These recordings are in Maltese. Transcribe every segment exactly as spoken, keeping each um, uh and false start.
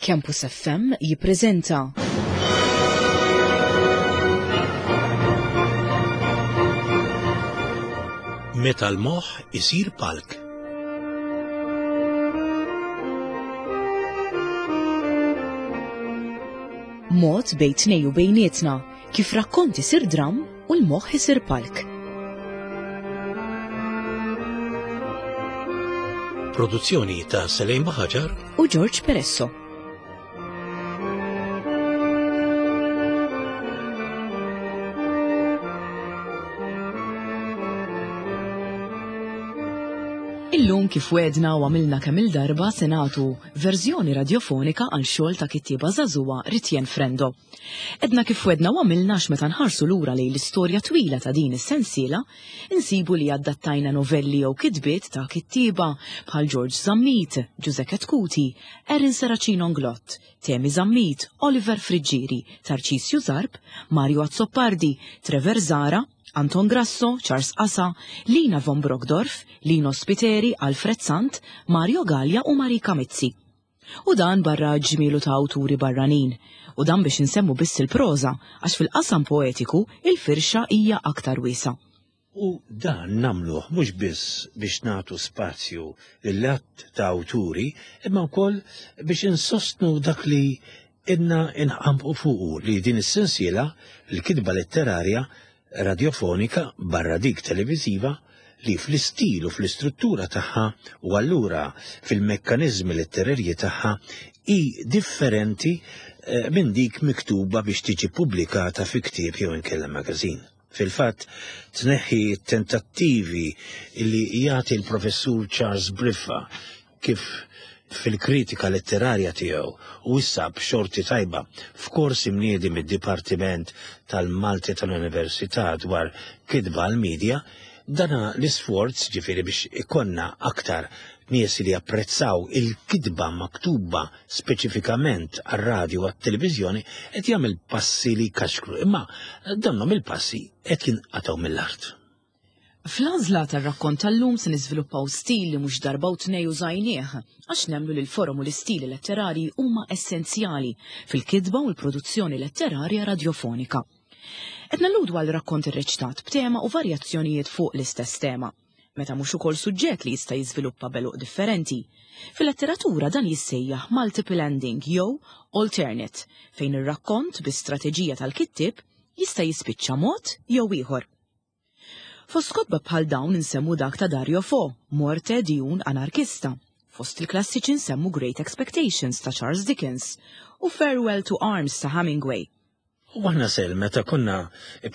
Campus F M jippreżenta Meta l-moħħ isir palk. Mod bejn tnejn u bejnietna kif rakkont isir dram u l-moħħ isir palk. Produzzjoni ta' Selejn Baħaġar u George Peresso. Illum, kif wedna u għamilna kemm il-darba, se nagħtu verżjoni radjofonika għal xogħol ta' kittieba żagħżugħa, Ritjen Frendo. Edna kif wedna u għamilna għax meta nħarsu lura lejn l-istorja twila ta' din is-sensiela, insibu li adattajna novelli jew kitbiet ta' kittieba bħal George Zammit, Giuseppe Chetcuti, Erin Serracino Inglott, Temi Zammit, Oliver Friggieri, Tarcisju Zarb, Mario Azzopardi, Trevor Zara, Anton Grasso, Charles Asa, Lina von Brockdorff, Lino Spiteri, Alfred Sant, Mario Gallia u Marika Mizzi. U dan barra ġmielu ta' awturi barranin. U dan biex insemmu biss il-proża, għax fil-qasam poetiku il-firxa hija aktar wiesgħa. U dan nagħmluh mhux biss biex nagħtu spazju lill-att ta' awturi, imma wkoll biex insostnu dak li ilna nħambqu fuqu, li din is-sensiela, l-kitba letterarja radiofonika barra dik televiziva, li fl-istil u fl-istruttura tagħha u allura fil-mekkanizmi letterarji tagħha hi differenti eh, minn dik miktuba biex tiġi pubblikata fi ktieb jew inkella magazin. Fil-fatt, tneħħi tentattivi li jagħti l-professur Charles Briffa kif fil-kritika letterarja tiegħu u issa b'xorti tajba f'kors imniedi mid-Dipartiment tal-Malti tal-Università dwar kitba għal-medja, dana l-isforz, ġifieri biex ikollna aktar nies li japprezzaw il-kitba maktuba speċifikament għar-radju u għat-televiżjoni, qed jagħmel passi li kaxkru, imma donnhom il-passi qed jinqatgħu mill-art. Fl-għażla tar-rakkont tal-lum se niżviluppaw stil li mhux darba u tnej użajnieh, għax nemmnu li l-forom u l-istili letterari huma essenzjali fil-kitba u l-produzzjoni letterarja radjofonika. Qed nalludu għal rakkont irreċtat b'tema u varjazzjonijiet fuq l-istess tema, meta mhux ukoll suġġett li jista' jiżviluppa b'għeluq differenti. Fil-letteratura dan jissejjaħ multiple ending jew alternate, fejn ir-rakkont bi strateġija tal-kittib jista' jispiċċa mod jew ieħor. Fost kotba bħal dawn insemmu dak ta' Dario Fo, Morte di un anarchista. Fost il-klassiċi nsemmu Great Expectations ta' Charles Dickens u Farewell to Arms ta' Hemingway. U aħna sel, meta konna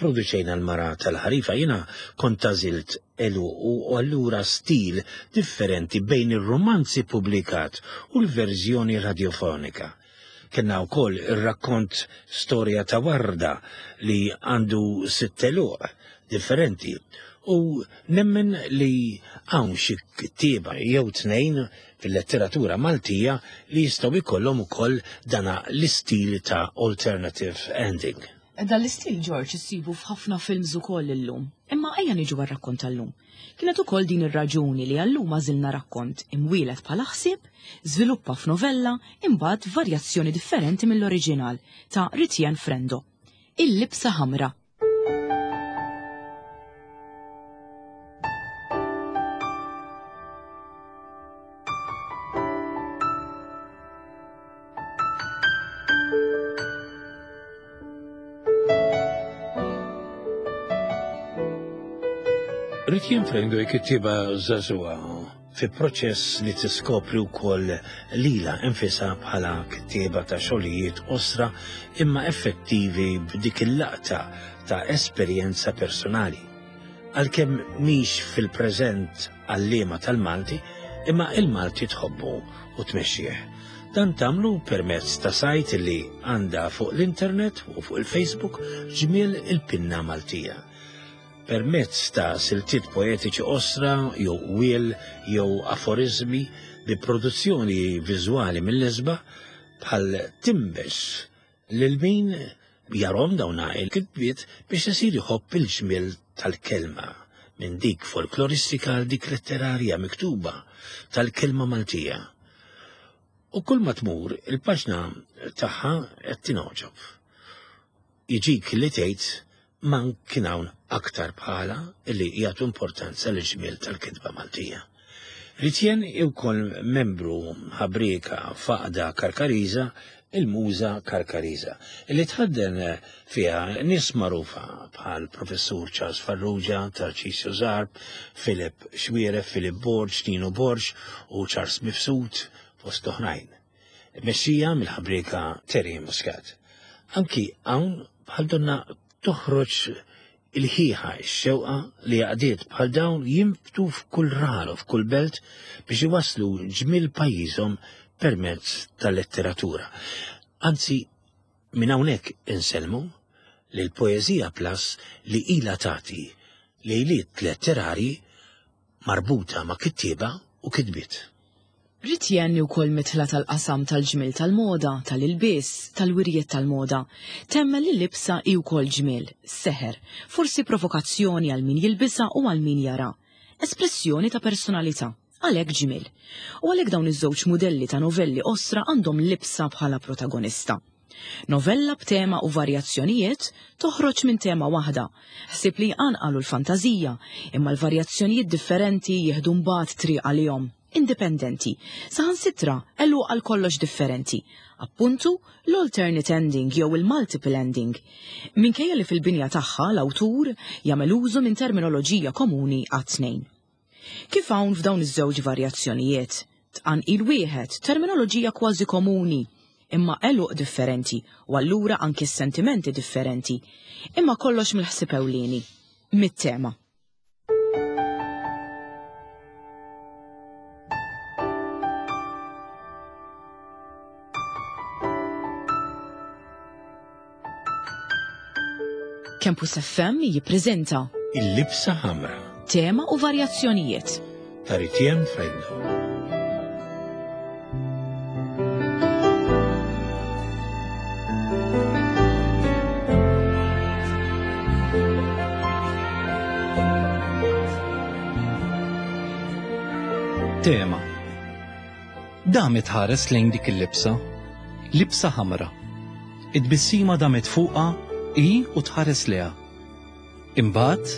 produċejna l-Mara tal-Ħarifa, jiena kont għażilt għeluq u allura stil differenti bejn ir-romanzi publikat u l-verżjoni radiofonika. Kellna wkoll ir-rakkont Storja ta' Warda li għandu sitt għeluq differenti. U nemmen li hawn xi kittieba jew tnejn fil-letteratura Maltija li jistgħu jkollhom ukoll dana l-istil ta' alternative ending. Dan l-istil, George, issibu f'ħafna films ukoll illum. Imma ejja niġu għar-rakkont tal-lum. Kienet ukoll din ir-raġuni li għallum għażilna rakkont imwielet bħala ħsieb, żviluppa f'novella, imbagħad varjazzjoni differenti mill-oriġinal ta' Ritjen Frendo. Il-Libsa Ħamra. Ritjen Frendo kittieba żagħżugħa fi proċess li tiskopri wkoll lilha nfisha bħala kittieba ta' xogħlijiet qosra imma effettivi b'dik il-laqta ta' esperjenza personali. Għalkemm mhix fil-preżent għalliema tal-Malti, imma il-Malti tħobbu u tmexxih. Dan tagħmlu permezz ta' sajt li għandha fuq l-internet u fuq il-Facebook, Ġmiel il-Pinna Maltija. Permezz ta' siltiet poetiċi qosra jew qwiel jew aforizmi bi produzzjoni viżwali mill-isbaħ bħal tinbex lil min jarahom dawna il-kitbiet biex isir jħobb il-ġmiel tal-kelma, minn dik folkloristika għal dik letterarja miktuba tal-kelma Maltija. U kull ma tmur il-paġna tagħha qed tingħoġob. Jiġik li tgħid ma kien hawn aktar bħala illi jagħtu importanza lil ġmiel tal-kitba Maltija. Ritienne hi wkoll membru ħabrieka f'għaqda Karkariża, il-Muża Karkariża, li tħadden fiha nies magħrufa bħal Professur Charles Farrugia, Tarcisio Zarb, Philip Xuereb, Philip Borg, Nino Borg u Charles Mifsud, fost oħrajn. Mexxija mill-ħabrieka Terry Muscat. Anki hawn bħal donna toħroġ il-ħiħa, x-xewqa li għaqdiet bħal dawn jinbtu f'kull raħal u f'kull belt biex iwasslu ġmiel pajjiżhom permezz tal-letteratura. Anzi, minn hawnhekk insellmu lil Poeżija Plus li ilha tagħti lejliet letterari marbuta ma' kittieba u kitbiet. Ritienne wkoll mitla tal-qasam tal-ġmiel tal-moda, tal-ilbies, tal-wirjiet tal-moda. Temmen li libsa hi wkoll ġmiel, seħer, forsi provokazzjoni għal min jilbisha u għal min jara. Espressjoni ta' personalità, għalhekk ġmiel. U għalhekk dawn iż-żewġ mudelli ta' novelli qosra għandhom libsa bħala protagonista. Novella b'tema u varjazzjonijiet toħroġ minn tema waħda. Ħsieb li jqanqalu l-fantażija, imma l-varjazzjonijiet differenti jieħdu mbagħad triq għalihom, indipendenti, saħansitra għeluq għal kollox differenti. Appuntu l-alternate ending jew il-multiple ending. Minkejja li fil-binja tagħha l-awtur jagħmel użu minn terminoloġija komuni għat-tnejn. Kif hawn f'dawn iż-żewġ varjazzjonijiet, tqanqil wieħed, terminoloġija kważi komuni, imma għeluq differenti u allura anki s-sentimenti differenti, imma kollox mill-ħsieb ewlieni, mit-tema. Campus F M jippreżenta Il-Libsa Ħamra, tema u varjazzjonijiet ta' Ritienne Frendo. Tema. Damet ħares lejn dik il-libsa, libsa ħamra. Id-tbissima damet fuqha i u tħares leha. Imbagħad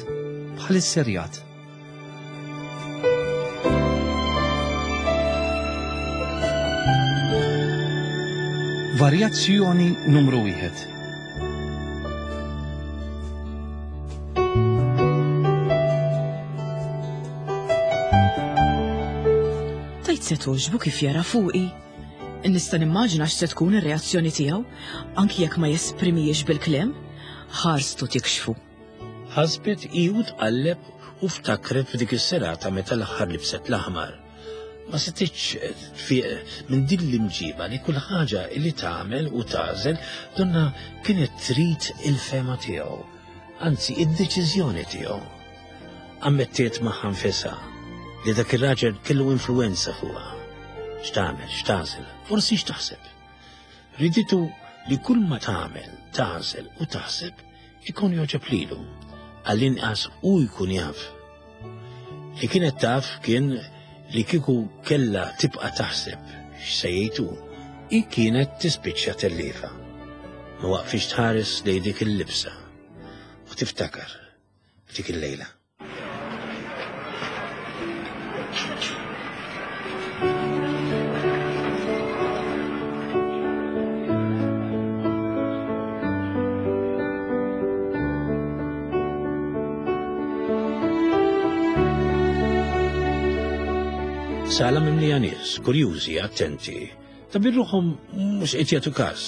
bħal is-serjat. Varjazzjoni numru wieħed. Tajt se toġbu kif jara fuqi. Nista' nimmaġina x'se tkun ir-reazzjoni tiegħu, anki jekk ma jesprimijiex bil-kliem, ħarstu tikxfu. Ħasbet i u tqalleb u ftakret f'dik is-serata meta l-aħħar libset l-aħmar. Ma setgħetx tfiq minn din l-imġiba li kull ħaġa li tagħmel u tagħżel donna kienet trid il-fema tiegħu, anzi id-deċiżjoni tiegħu. Ammettiet magħha nfisha li dak ir-raġel kellu influenza fuqha. X'tagħmel, x'tagħżel, forsi x'taħseb. Riditu li kull ma tagħmel, tagħżel u taħseb ikun joġob lilu, għall-inqas u jkun jaf. Li kienet taf kien li kieku kellha tibqa' taħseb x'se jgħidu, hi kienet tispiċċa tellifa. Ma waqfix tħares lejn dik il-libsa u tiftakar f'dik il-lejla. Sala mimlija nies, kurjużi, attenti, ta' birruħhom mhux qed jagħtu każ.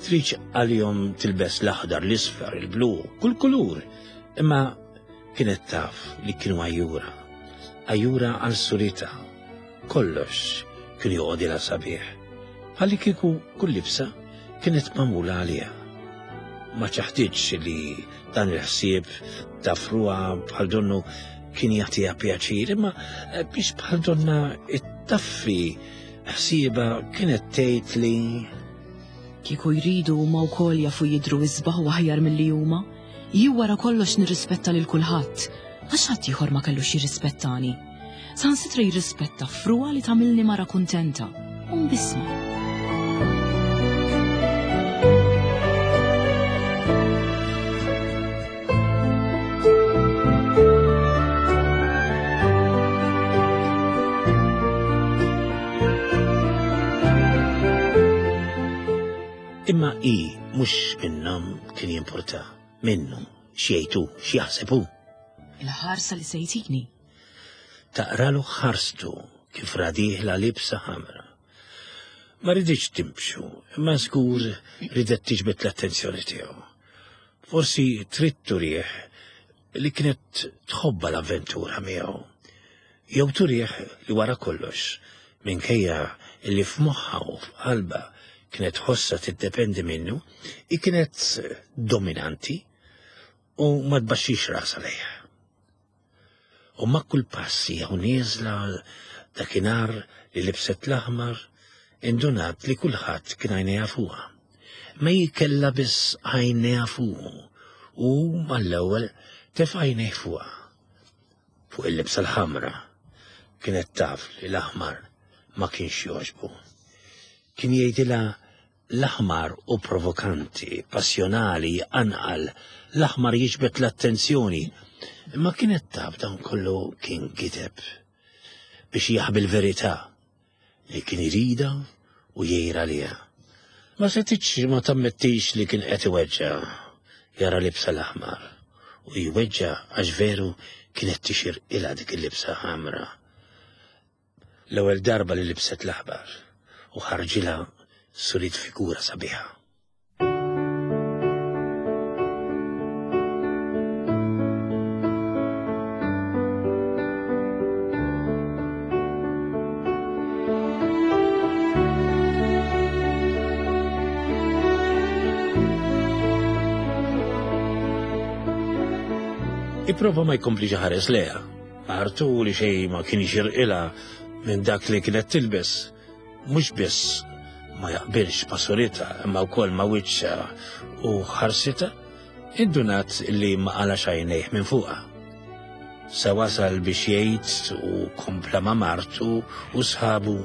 Tridx għalihom tilbes l-aħdar, l-isfar, il-blu, kull kulur, imma kienet taf li kienu għajjura. Għajjura għal surita. Kollox kien joqgħodilha sabiħ. Bħalli kieku kull libsa kienet magħmula għaliha. Ma ċaħditx li dan il-ħsieb ta' fruha bħal donnu kien jagħtiha pjaċir, imma biex bħal donna ittaffi ħsieba kienet tgħid li kieku jridu huma wkoll jafu jidhru isbaħ u aħjar milli huma, jien wara kollox nirrispetta lil kulħadd, għax ħadd ieħor ma kellux jirrispettani. Saħansitra jirrispetta frugħa li tagħmilni mara kuntenta u mbissma. Imma i mhux minnhom kien jimpurta, minnu x'jgħidu, x'jaħseb hu. Il-ħarsa li se jtini. Taqralu ħarstu kif ra dieħla libsa ħamra. Ma riditx timbxu, imma żgur ridet tiġbed l-attenzjoni tiegħu. Forsi trid turih li kienet tħobba l-avventura miegħu. Jew turih li wara kollox, minkejja li f'moħħa u f'qalbha kienet ħossa tiddependi minnu, i kienet dominanti u ma tbaxxix rasha lejha. U ma' kull passi jew nieżla dakinhar li libset l-aħmar, indunat li kulħadd kien għajnejha fuqha. Ma hi kellha biss għajnejha fuqu u mal-ewwel tefa' għajnejh fuqha. Fuq il-libsa l-ħamra kienet taf li l-aħmar ma kienx jogħġbu. Kien jgħidilha l-aħmar u provokanti, passjonali, anqal, l-aħmar jiġbed l-attenzjoni. Imma kienet taf dan kollu kien gideb biex jaħbi l-verità li kien irida u jgħira liha. Ma setitx ma tammettix li kien qed iweġġa' jara libsa l-aħmar u jweġġa' għax veru kienet tixirqilha dik il-libsa ħamra. L-ewwel darba li libset l-aħmar u ħarġilha surit figura sabiħa. Ipprova ma jkomplix ħares leha. Martu li xejn ma kien jixirqilha minn dak li kienet tilbes. Mhux biss ma jaqbilx ma' suritha imma wkoll ma' wiċċha u ħarsitha, indunat li ma qalax għajnejh minn fuqha. Sa wasal biex jgħid u kompla ma' martu u sħabu.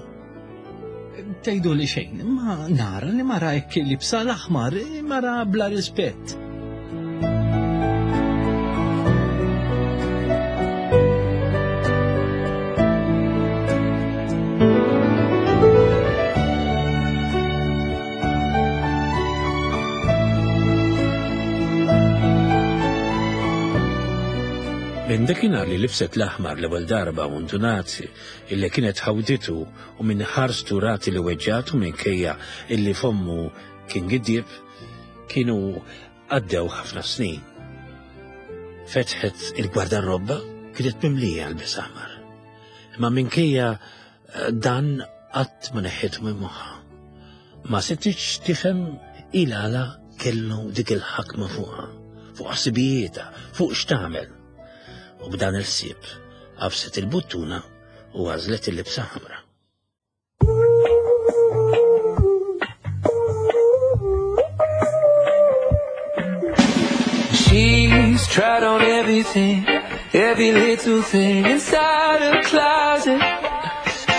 Tgħidu li xejn, ma nara li mara hekk libsa l-aħmar, mara bla rispett. Minn dakinhar li libset l-aħmar l-ewwel darba u ndunat illi kienet ħawditu u minn ħarstu rati li weġġatu minkejja illi fommu kien giddieb, kienu għaddew ħafna snin. Fetħet il-gwardarrobba kienet mimlija l-bes aħmar. Imma minkejja dan qatt ma neħħitu minn moħħha. Ma setitx tifhem il-għala kellu dik il-ħakma fuqha, fuq ħsibijietha, fuq x'tagħmel. U b'dan il-ħsieb għafset il-buttuna u għażlet il-libsa ħamra. She's tried on everything, every little thing inside her closet.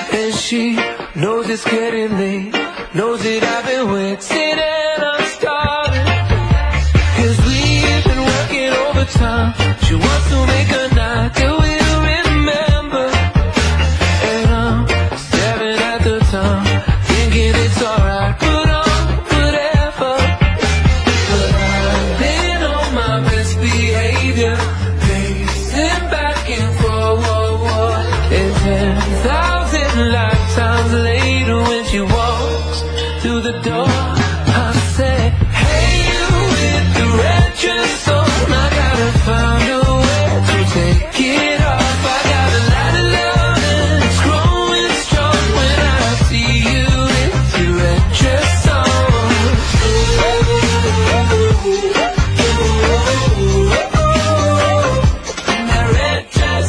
And she knows it's getting late, knows that I've been waiting and I'm starving. 'Cause we've been working overtime. She wants to make a night that we'll remember. And I'm staring at the time, thinking it's alright, put on whatever. But I've been on my best behavior, pacing back and forth. And ten thousand lifetimes later, when she walks through the door, I say, hey, you with the red dress on, I gotta find a way to take it off. I got a lot of love and it's growing strong when I see you with your red dress on. In that red dress,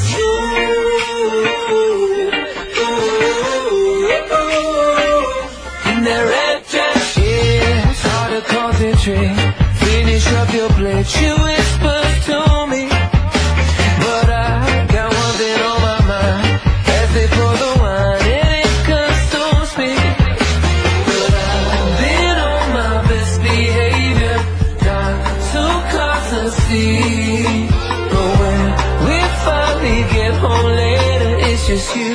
in that red dress, yeah, it's hard to concentrate. Finish up your plate, she whispers to me, but I got one thing on my mind. It's just you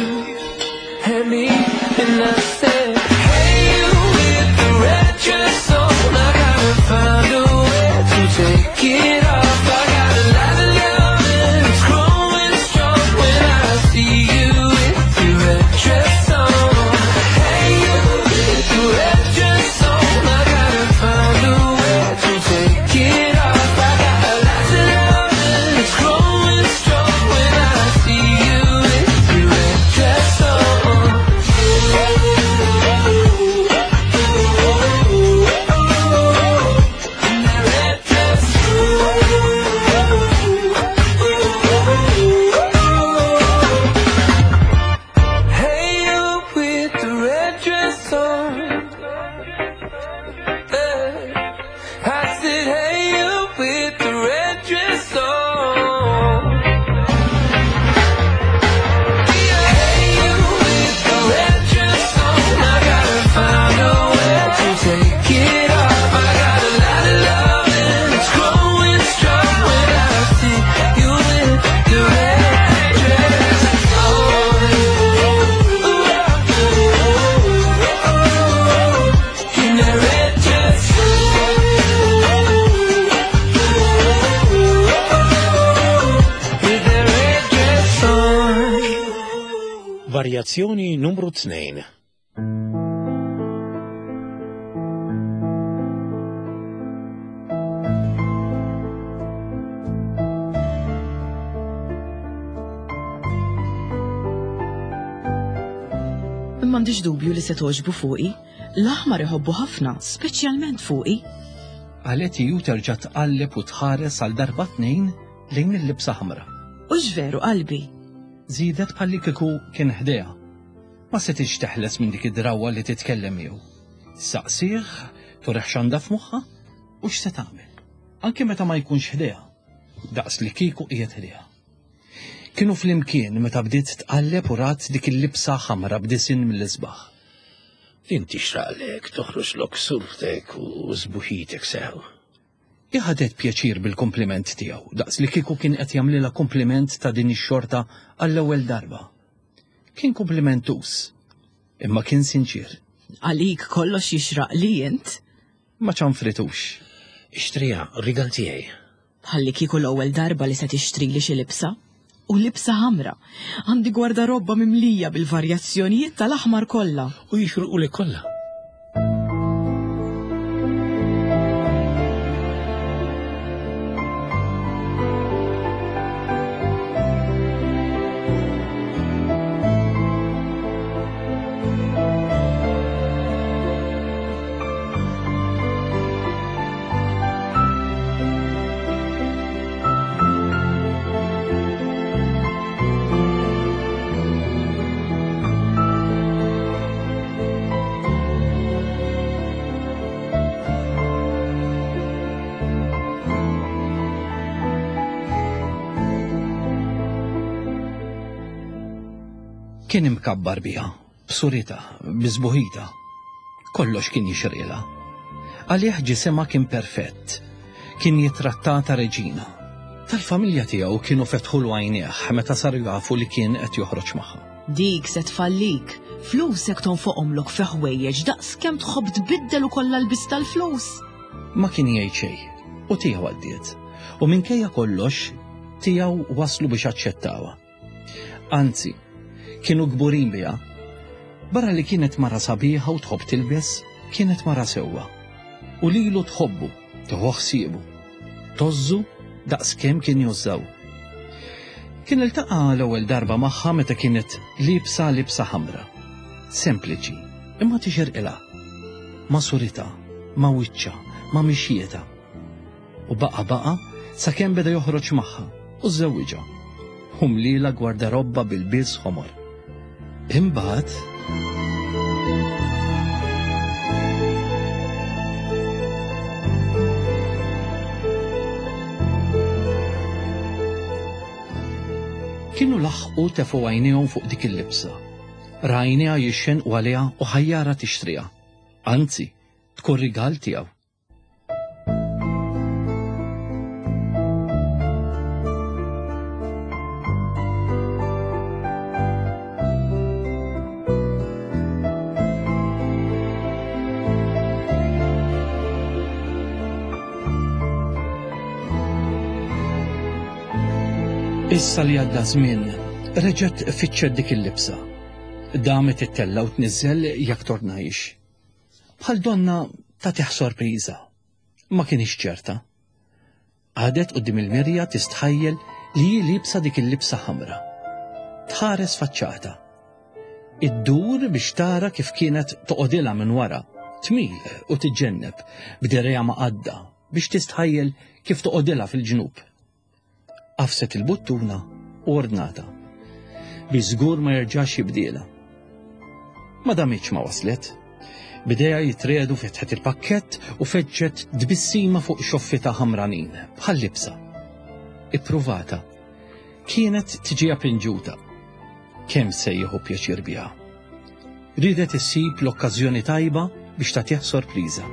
and me. And I said, hey, you with the red dress on, I gotta find a way to take it off. I got a lot of love and it's growing strong when I see you with your red dress on. Hey, you with the red dress on, I gotta find a way to take it off. I got a lot of love and it's growing strong when I see you with your red dress on. In that red dress. Hey, you with the red dress on. Eh. I said, hey, you with the red dress on. Hey, you with the red dress on. I gotta find a way to take it off. I got a lot of love and it's growing strong when I see you with the red dress on. In that red dress. With that red dress on. Varjazzjoni numru tnejn. M'għandix dubju li se toġbu fuqi. L-aħmar iħobbu ħafna, speċjalment fuqi. Qalet hi u terġa' tqalleb u tħares għal darba tnejn lejn il-libsa ħamra. U veru qalbi. Żiedet bħalli kieku kien ħdejha. Ma setgħetx teħles minn dik id-drawwa li titkellem miegħu. Saqsih, turih x'għandha f'moħħha u x'se tagħmel. Anke meta ma jkunx ħdejha. Daqs li kieku qiegħed ħdejha. Kienu flimkien meta bdiet tqalleb u rat dik il-libsa ħamra b'disinn mill-isbaħ. Inti xraqlek toħroġlok surtek u sbuħitek sew. Hi ħadet pjaċir bil-kompliment tiegħu, daqs li kieku kien qed jagħmlilha kompliment ta' din ix-xorta għall-ewwel darba. Kien komplimentus, imma kien sinċir, Għalik kollox jixraq li int. ma ċanfritux. Ixtriha, rigal tiegħi. Bħalli kieku l-ewwel darba li se tixtri li xi libsa. U libsa ħamra. Għandi gwardarobba mimlija bil-varjazzjonijiet tal-aħmar kollha. U jixirqulek kollha. Kien imkabbar biha, b'suritha, bi sbuħitha. Kollox kien jixirqilha. Għalih ġisimha kien perfett. Kien jitrattata reġina. Tal-familja tiegħu kienu fetħulu għajnejh meta saru jafu li kien qed joħroġ magħha. Dik se tfallik. Flusek tonfoqhomlok fi ħwejjeġ daqs kemm tħobb tbiddel u kollha lbis tal-flus. Ma kien jgħid xejn, u tiegħu għaddiet. U minkejja kollox, tiegħu waslu biex aċċettawha. Anzi, kienu kburin biha. Barra li kienet mara sabiħa u tħobb tilbes, kienet mara sewwa. U lilu tħobbu, tieħu ħsiebu. Tgħożżu daqs kemm kien jgħożżha. Kien iltaqa' l-ewwel darba magħha meta kienet libsa libsa ħamra. Sempliċi, imma tixirqilha. Ma' suritha, ma' wiċċha, ma' mixjietha. U baqa baqa sakemm beda joħroġ magħha u żewwiġha. U mlielha gwardarobba bil-ilbies ħomor. Imbagħad kienu laħqu tefgħu għajnejhom fuq dik il-libsa. Rajniha jixxenqu għaliha u ħajjara tixtriha. Anzi, tkun rigal tiegħu. Issa li għadda żmien, reġgħet fittxet dik il-libsa. Damet ittella' u tniżżel jekk tornajx. Bħal donna tagħtih sorpriża. Ma kienx ċerta. Għadet quddiem il-mirja tistħajjel li hi libsa dik il-libsa ħamra. Tħares faċċata. Iddur biex tara kif kienet toqgħodilha minn wara, tmil u tiġġenneb b'dirgħajha maqadda biex tistħajjel kif toqgħodilha fil-ġnub. Għafset il-buttuna u ordnata. Biex żgur ma jerġax jibdielha. Ma damitx ma waslet. B'idejha jitriegħdu fetħet il-pakkett u feġġet tbissima fuq xoffita ħamranin, bħal libsa. Ippruvata. Kienet tiġiha pinġuta. Kemm se jieħu pjaċir biha. Ridet issib l-okkażjoni tajba biex tagħtih sorpriża.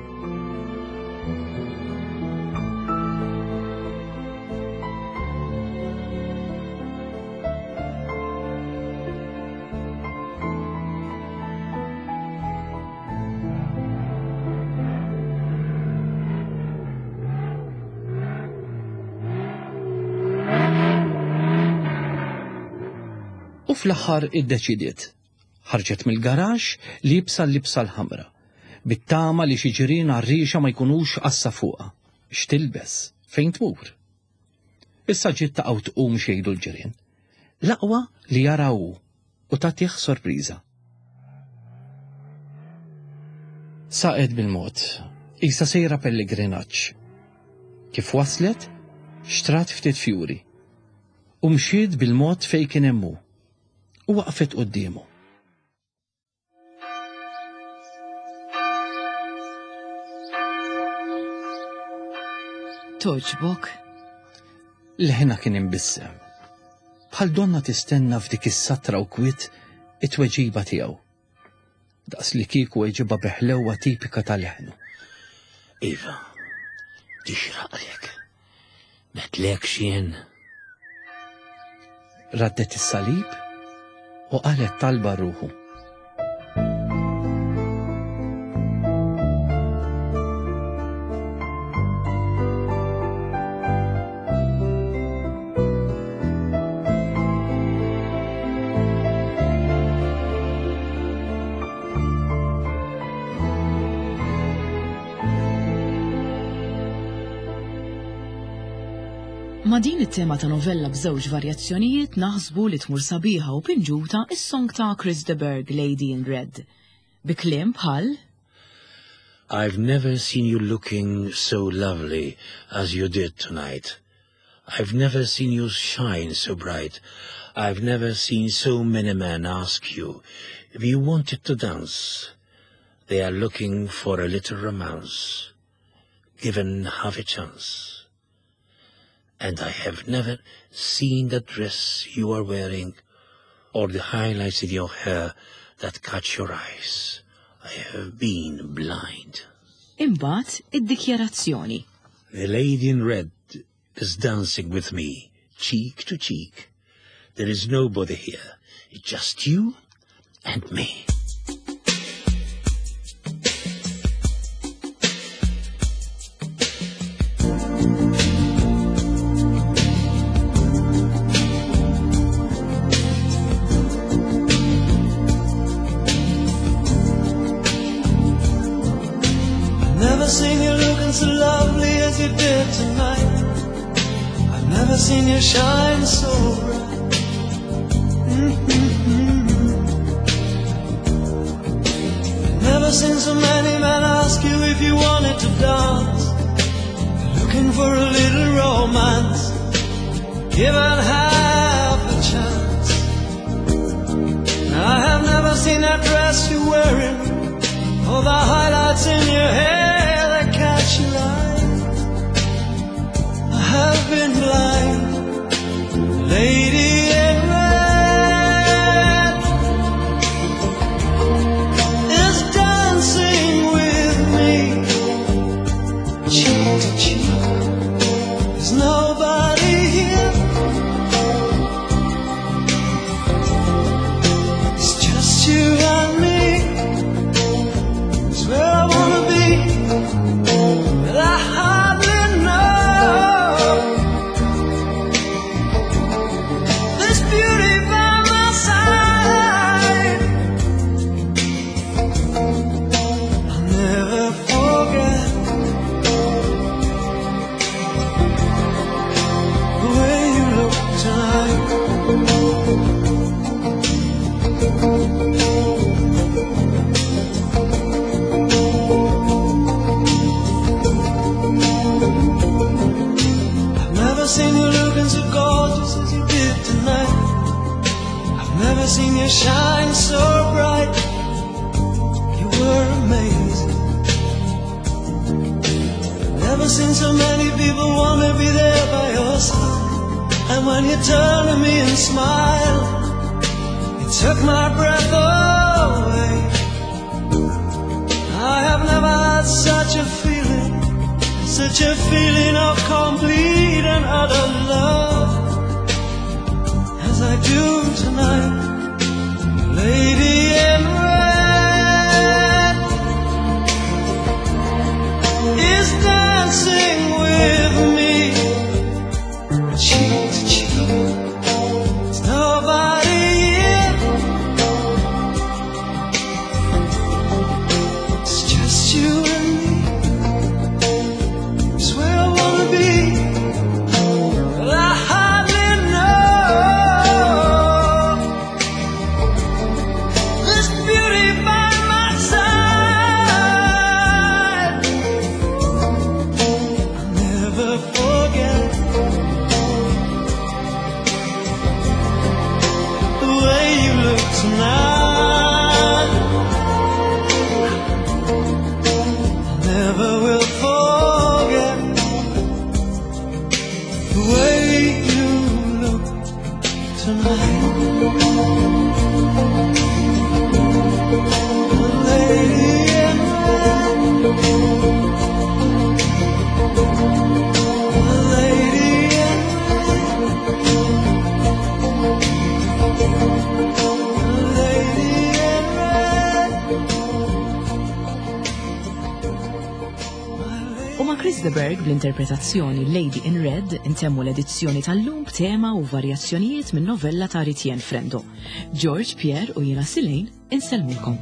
U fl-aħħar iddeċidiet. Ħarġet mill-garaxx liebsa l-libsa l-ħamra. Bit-tama li xi ġirien għarriexa ma jkunux għassa fuqha. X'tilbes? Fejn tmur? Issa ġiet taqgħu tqum xejdu l-ġirien. L-aqwa li jara hu u tagħtih sorpriża. Saqet bil-mod, qisha sejra pellegrinaġġ. Kif waslet, xtrat ftit fjuri. U mxiet bil-mod fejn kien hemm hu. U waqfet quddiemu. Togħġbok? Leħinha kien imbissem. Bħal donna tistenna f'dik is-satra u kwiet it-tweġiba tiegħu. Daqs li kieku weġibha bi ħlewwa tipika ta' leħnu. Iva, tixraqlek. Metlek xien. Raddet is-salib u qalet talba ruħu. Ma' din it-tema ta' novella b'żewġ varjazzjonijiet naħsbu li tmur sabiħa u pinġuta is-song ta' Chris de Burgh, Lady in Red. Bi kliem bħal I've never seen you looking so lovely as you did tonight. I've never seen you shine so bright. I've never seen so many men ask you if you wanted to dance. They are looking for a little romance, given half a chance. And I have never seen the dress you are wearing or the highlights in your hair that catch your eyes. I have been blind. Imbagħad id-dikjarazzjoni. The lady in red is dancing with me, cheek to cheek. There is nobody here. It's just you and me. Never seen you looking so lovely as you did tonight. I've never seen you shine so bright. Mm-hmm. I've never seen so many men ask you if you wanted to dance. They're looking for a little romance, given half a chance. I have never seen that dress you're wearing, or the highlights in your hair that catch your eye. I have been blind, lady in red is dancing with me, cheek to cheek. There's nobody here. It's just you and me. It's where I wanna be. you shine so bright, you were amazing. Never seen so many people wanna be there by your side. And when you turn to me and smile, it took my breath away. I have never had such a feeling, such a feeling of complete and utter love as I do tonight. Lady in red is dancing with me, cheek to cheek. There's nobody here. It's just you and me. It's where I wanna be. But I hardly know this beauty by my side. I'll never forget the way you look tonight. I never will forget the way you look tonight. The lady in red. The lady in red. The lady in red. My lady U ma' Chris de Burgh bl-interpretazzjoni Lady in Red intemmu l-edizzjoni tal-lum b'tema u varjazzjonijiet minn novella ta' Ritienne Frendo. George, Pierre u jiena Silane insellmulkom.